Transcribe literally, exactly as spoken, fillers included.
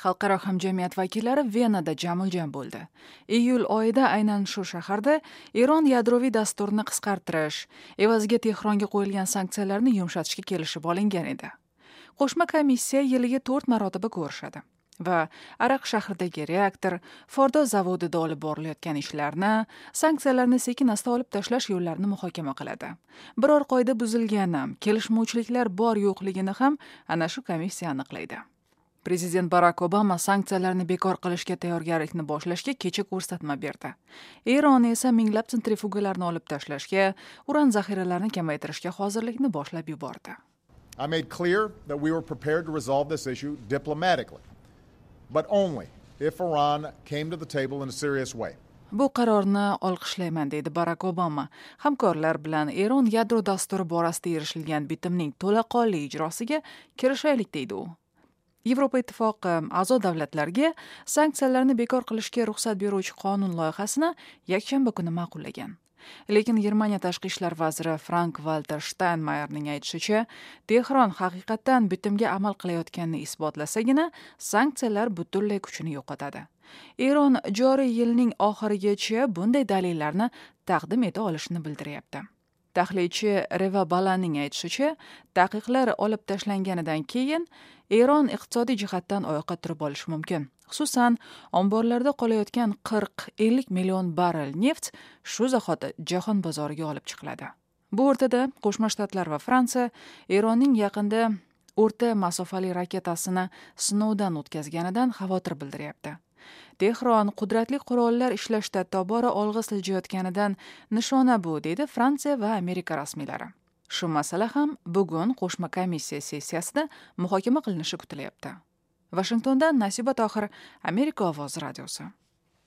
Xalqaro hamjamiyat vakillari Venada jamuljam bo'ldi. Iyul oyida aynan shu shaharda Eron yadroviy dasturini qisqartirish, evaziga Tehronga qo'yilgan sanksiyalarni yumshatishga kelishib olingan edi. Qo'shma komissiya yiliga to'rt marotaba ko'rishadi va Arak shahridagi reaktor, Fordo zavodida olib borilayotgan ishlarni, sanksiyalarni sekin-asta olib tashlash yo'llarini muhokama qiladi. Biror qoida buzilgani, kelishmovchiliklar bor yo'qligini ham ana shu komissiya aniqlaydi. Prezident Barak Obama sanksiyalarni bekor qilishga tayyorgarlikni boshlashga kecha ko'rsatma berdi. Eron esa minglab sentrifugalarni olib tashlashga, uran zaxiralarini kamaytirishga hozirlikni boshlab yubordi. I made clear that we were prepared to resolve this issue diplomatically, but only if Iran came to the table in a serious way. Bu qarorni olqishlayman, deydi Barak Obama. Hamkorlar bilan Eron yadro dasturi borasida erishilgan bitimning to'laqonli ijrosiga kirishaylik, deydi u. Yevropa Ittifoqi a'zo davlatlarga sanksiyalarni bekor qilishga ruxsat beruvchi qonun loyihasini yakshanba kuni ma'qullagan. Lekin Germaniya tashqi ishlar vaziri Frank-Walter Steinmeierning aytishicha, Tehron haqiqatan bitimga amal qilayotganini isbotlasagina, sanksiyalar butunlay kuchini yo'qotadi. Eron joriy yilning oxirigacha bunday dalillarni taqdim eta olishini bildiryapti. Tahlilchi Reva Balaning aytishicha, taqiqlar olib tashlanganidan keyin Eron iqtisodiy jihatdan oyoqqa turib olishi mumkin. Xususan, omborlarda qolayotgan qirq ellik million barrel neft shu zahoti jahon bozoriga olib chiqiladi. Bu o'rtada Qo'shma Shtatlar va Fransiya Eronning yaqinda o'rta masofali raketasini sinovdan o'tkazganidan xavotir bildiryapti. Tehron qudratli qurollar ishlashda tobora olg'a siljayotganidan nishona bu, deydi Fransiya va Amerika rasmiylari. Shu masala ham bugun qo'shma komissiya sessiyasida muhokama qilinishi kutilyapti. Vashingtondan Nasiba Tohir, Amerika ovozi radiosi.